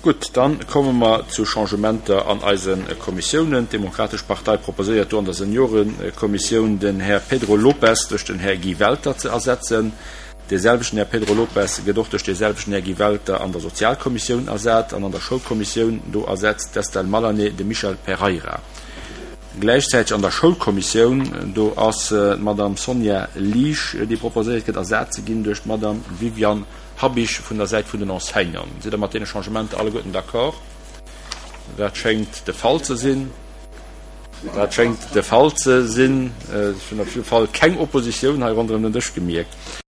Gutt, dann komme mer zu Changementer an eise Kommissiounen. D'Demokratesch Partei proposéiert do an der Seniorekommissioun den Här Pedro Lopes duerch den Här Guy Welter ze ersetzen. Dee selwechten Här Pedro Lopes gëtt och duerch dee selwechten Här Guy Welter an der Sozialkommissioun ersat an an der Schoulkommissioun, do ersetzt d'Estelle Malané de Michel Pereira. Gläichzäiteg an der Schoulkommissioun, do ass d'Madame Sonja Liesch, déi proposéiert gëtt ersat ze ginn duerch d'Madame Viviane Habich vun der Säit vun den Enseignanten. Sidd Der mat deene Changementer alleguerten d'accord? Dat schéngt de Fall ze sinn. Dat schéngt de Fall ze sinn. Ech hunn op jidde Fall keng Oppositioun hei ronderëm den Dësch gemierkt.